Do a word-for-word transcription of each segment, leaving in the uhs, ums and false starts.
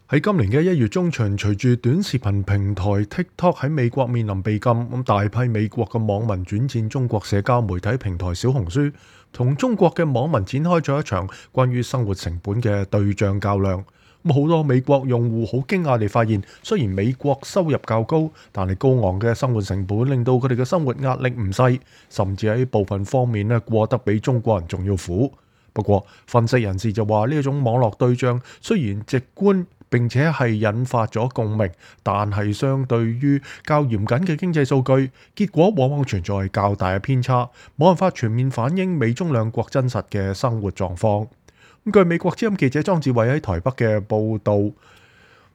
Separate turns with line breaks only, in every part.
喺今年嘅一月中旬，隨住短視頻平台 TikTok 喺美國面臨被禁，咁大批美國嘅網民轉戰中國社交媒體平台小紅書，同中國嘅網民展開咗一場關於生活成本嘅對賬較量。咁好多美國用戶好驚訝地發現，雖然美國收入較高，但係高昂嘅生活成本令到佢哋嘅生活壓力唔細，甚至喺部分方面咧過得比中國人仲要苦。不過，分析人士就話呢一種網絡對賬雖然直觀，並且係引發咗共鳴，但係相對於較嚴謹嘅經濟數據，結果往往存在較大嘅偏差，冇辦法全面反映美中兩國真實嘅生活狀況。咁據美國之音記者莊志偉喺台北嘅報導，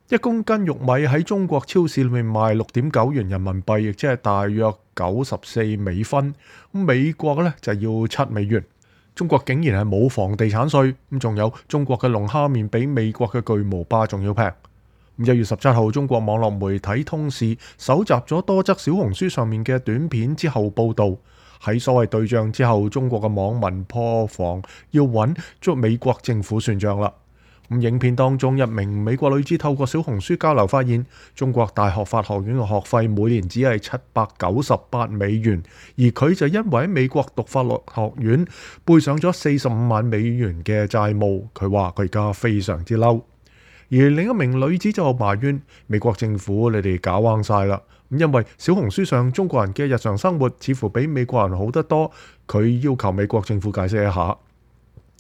一公斤玉米喺中國超市裏面賣六點九元人民幣，亦即係大約九十四美分。咁美國呢就要七美元。中國竟然係冇房地產稅，咁仲有中國嘅龍蝦麵比美國嘅巨無霸仲要平。一月十七號，中國網絡媒體通視搜集咗多則小紅書上面嘅短片之後報導，喺所謂對賬之後，中國嘅網民破防要揾捉美國政府算賬啦。咁影片當中，一名美國女子透過小紅書交流發現，中國大學法學院嘅學費每年只係七百九十八美元，而佢就因為喺美國讀法律學院背上咗四十五萬美元嘅債務，佢話佢而家非常之嬲。而另一名女子就埋怨美國政府，你哋搞彎晒啦，因為小紅書上中國人嘅日常生活似乎比美國人好得多，佢要求美國政府解釋一下。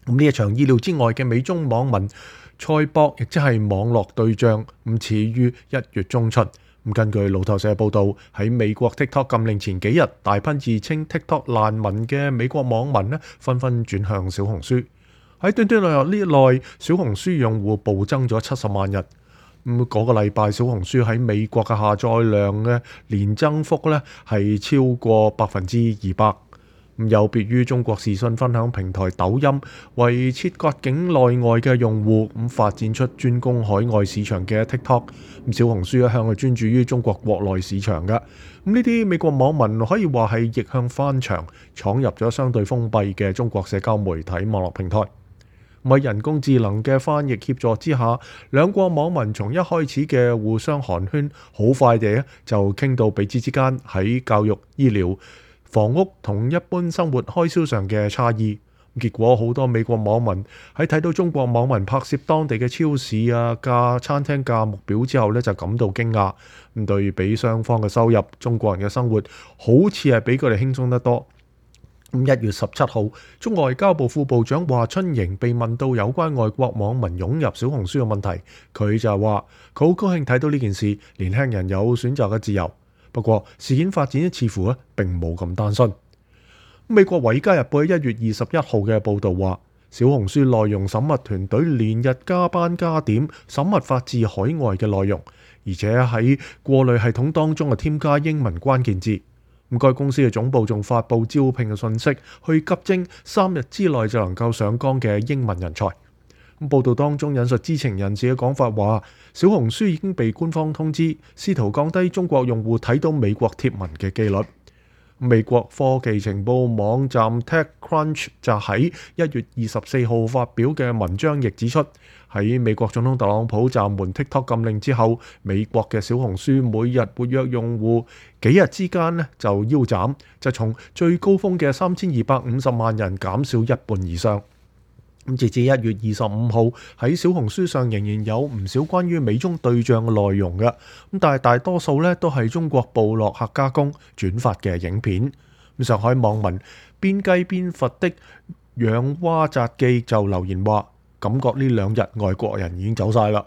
咁呢一場意料之外嘅美中網民賽博，亦即係網絡對賬，咁始於一月中旬。咁根據路透社報導，喺美國 TikTok 禁令前幾日，大批自稱 TikTok 難民嘅美國網民咧，紛紛轉向小紅書。喺短短兩日呢內，小紅書用戶暴增咗七十萬人。咁嗰個禮拜，小紅書喺美國嘅下載量嘅年增幅咧係超過百分之二百。有別於中國視訊分享平台抖音為切割境內外嘅用戶，咁發展出專攻海外市場嘅 TikTok， 咁小紅書一向係專注於中國國內市場嘅。咁呢啲美國網民可以話係逆向翻牆，闖入咗相對封閉嘅中國社交媒體網絡平台。喺人工智能嘅翻譯協助之下，兩國網民從一開始嘅互相寒暄，好快地就傾到彼此之間喺教育、醫療、房屋同一般生活開銷上嘅差異。結果好多美國網民喺睇到中國網民拍攝當地嘅超市啊、價餐廳價目表之後呢，就感到驚訝。咁對比雙方嘅收入，中國人嘅生活好似係比佢哋輕鬆得多。咁一月十七號，中國外交部副部長華春瑩被問到有關外國網民湧入小紅書嘅問題，佢就話佢好高興睇到呢件事，年輕人有選擇嘅自由。不過事件發展似乎咧並冇咁單純。美國《華爾街日報》喺一月二十一號嘅報導話，小紅書內容審核團隊連日加班加點審核發自海外嘅內容，而且喺過濾系統當中啊添加英文關鍵字。咁該公司嘅總部仲發布招聘嘅信息，去急徵三日之內就能夠上崗嘅英文人才。咁報道當中引述知情人士嘅講法話，小紅書已經被官方通知，試圖降低中國用戶睇到美國貼文嘅機率。美國科技情報網站 TechCrunch 就喺一月二十四號發表嘅文章亦指出，喺美國總統特朗普暫緩 TikTok 禁令之後，美國嘅小紅書每日活躍用戶幾日之間呢就腰斬，就從最高峰嘅三千二百五十萬人減少一半以上。咁截至一月二十五號，喺小紅書上仍然有唔少關於美中對賬嘅內容嘅，咁但係大多數咧都係中國部落客加工轉發嘅影片。咁上海網民邊雞邊佛的養蛙札記就留言話，感覺呢兩日外國人已經走晒啦。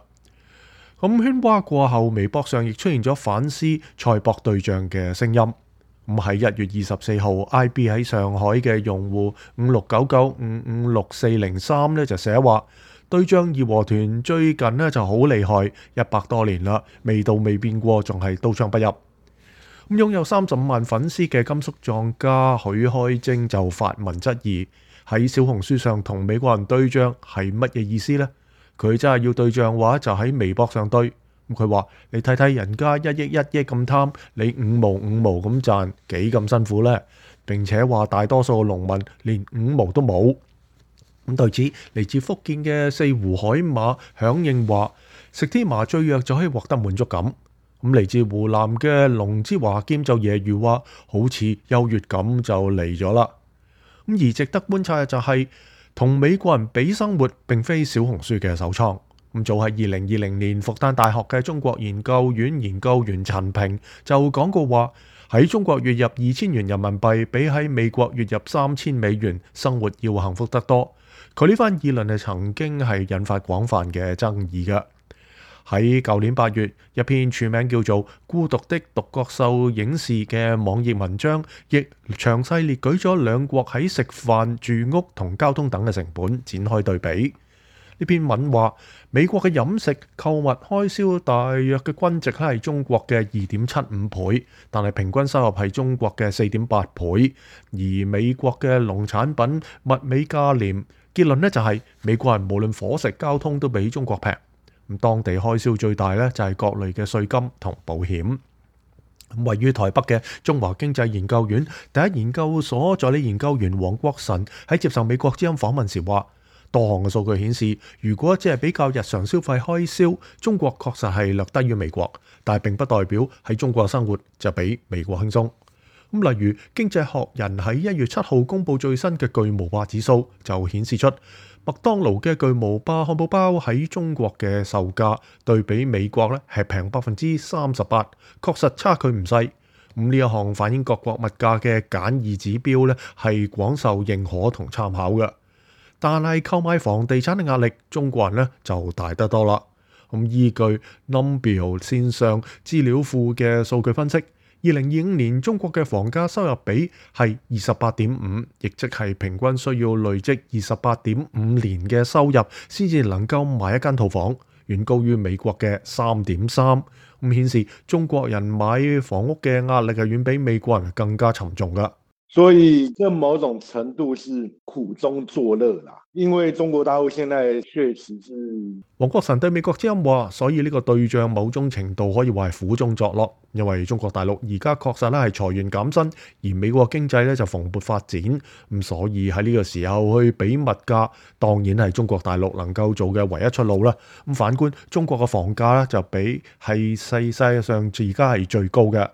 咁喧嘩過後，微博上亦出現咗反思賽博對賬嘅聲音。咁喺一月二十四號 ，I B 喺上海嘅用戶五六九九五五六四零三咧就寫話，對賬義和團最近咧就好厲害，一百多年啦，味道未變過，仲係刀槍不入。咁擁有三十五萬粉絲嘅甘肅藏家許開晶就發文質疑，喺小紅書上同美國人對賬係乜嘢意思呢？佢真係要對賬話就喺微博上對。咁佢話：你睇睇人家一億一億咁貪，你五毛五毛咁賺，幾咁辛苦呢？並且話大多數農民連五毛都冇。咁對此，嚟自福建嘅四湖海馬響應話，食天麻醉藥就可以獲得滿足感。咁嚟自湖南嘅龍之華劍就揶揄話，好似優越感就嚟咗啦。咁而值得觀察嘅就係、是，同美國人比生活並非小紅書嘅首創。咁早喺二零二零年，復旦大學嘅中國研究院研究員陳平就講過話，喺中國月入二千元人民幣，比喺美國月入三千美元生活要幸福得多。佢呢番議論係曾經係引發廣泛嘅爭議嘅。喺舊年八月，一篇署名叫做《孤獨的獨角獸影視》嘅網頁文章，亦詳細列舉咗兩國喺食飯、住屋同交通等嘅成本，展開對比。呢篇文話，美國嘅飲食購物開銷大約嘅均值係中國嘅二點七五倍，但係平均收入係中國嘅四點八倍，而美國嘅農產品物美價廉。結論呢就係、是、美國人無論伙食、交通都比中國平。咁當地開銷最大呢，就係各類嘅稅金同保險。位於台北嘅中華經濟研究院第一研究所助理研究員黃國臣喺接受美國之音訪問時話，多項嘅數據顯示，如果只係比較日常消費開銷，中國確實係略低於美國，但係並不代表喺中國生活就比美國輕鬆。咁例如《經濟學人》喺一月七號公布最新嘅巨無霸指數，就顯示出麥當勞嘅巨無霸漢堡包喺中國嘅售價對比美國咧係平百分之三十八，確實差距唔細。咁呢一項反映各國物價嘅簡易指標咧係廣受認可同參考嘅。但係購買房地產嘅壓力，中國人咧就大得多啦。咁依據 Numbeo 線上資料庫嘅數據分析，二零二五年中國嘅房價收入比係二十八點五，亦即係平均需要累積二十八點五年嘅收入先至能夠買一間套房，遠高於美國嘅三點三。咁顯示中國人買房屋嘅壓力係遠比美國人更加沉重㗎。
所以這某種程度是苦中作樂啦，因為中國大陸現在確實是。
黃國臣對美國之音話，所以呢個對象某種程度可以話係苦中作樂，因為中國大陸而家確實咧係裁員減薪，而美國經濟咧就蓬勃發展，咁所以喺呢個時候去比物價，當然係中國大陸能夠做嘅唯一出路啦。咁反觀中國嘅房價咧就比係世界上而家係最高嘅。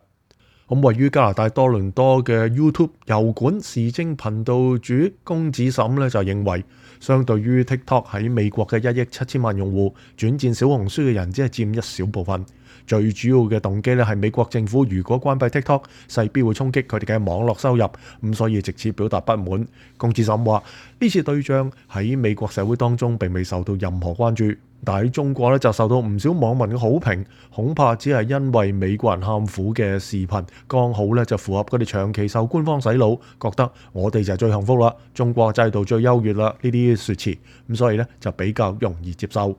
咁位於加拿大多倫多嘅 YouTube 油管時政頻道主龔子沈咧就認為，相對於 TikTok 喺美國嘅一億七千萬用戶，轉戰小紅書嘅人只係佔一小部分。最主要嘅動機咧係美國政府如果關閉 TikTok，勢必會衝擊佢哋嘅網絡收入，咁所以直接表達不滿。龔子沈話：呢次對象喺美國社會當中並未受到任何關注，但喺中國咧就受到唔少網民嘅好評，恐怕只係因為美國人喊苦嘅視頻剛好咧就符合佢哋長期受官方洗腦，覺得我哋就係最幸福啦，中國制度最優越啦呢啲説詞，咁所以咧就比較容易接受。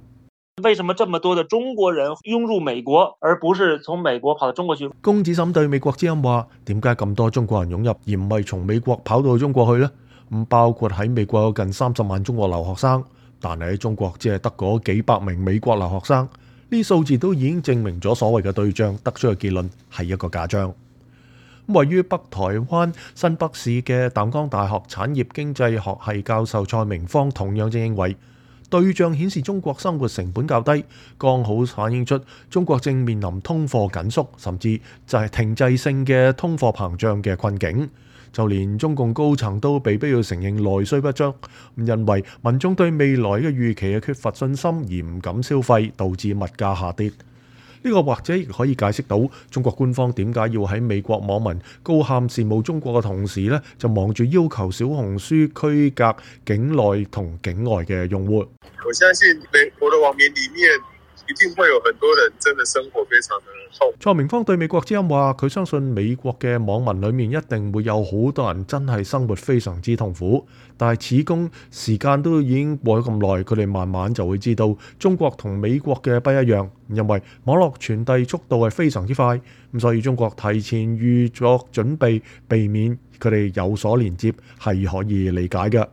為什麼這麼多的中國人湧入美國，而不是從美國跑到中國去？
龔子沈對美國之音話：點解咁多中國人湧入，而唔係從美國跑到去中國去呢？咁包括喺美國有近三十萬中國留學生，但係喺中國只係得嗰幾百名美國留學生。呢數字都已經證明咗所謂嘅對象得出嘅結論係一個假象。位於北台灣新北市嘅淡江大學產業經濟學系教授蔡明芳同樣正認為，對象顯示中國生活成本較低，剛好反映出中國正面臨通貨緊縮，甚至就係停滯性嘅通貨膨脹嘅困境。就連中共高層都被逼要承認內需不足，因為民眾對未來嘅預期嘅缺乏信心而唔敢消費，導致物價下跌。呢個或者亦可以解釋到中國官方點解要喺美國網民高喊羨慕中國嘅同時呢，就忙住要求小紅書區隔境內同境外嘅用戶。
我相信美國嘅網民裡面一定會有很多人真的生活非常的痛。
蔡明芳對美國之音話，佢相信美國嘅網民裡面一定會有好多人真係生活非常之痛苦，但係始終時間都已經過咗咁耐，佢哋慢慢就會知道中國同美國嘅不一樣，因為網絡傳遞速度係非常之快，咁所以中國提前預作準備，避免佢哋有所連接係可以理解嘅。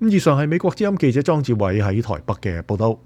咁以上係美國之音記者莊志偉喺台北嘅報道。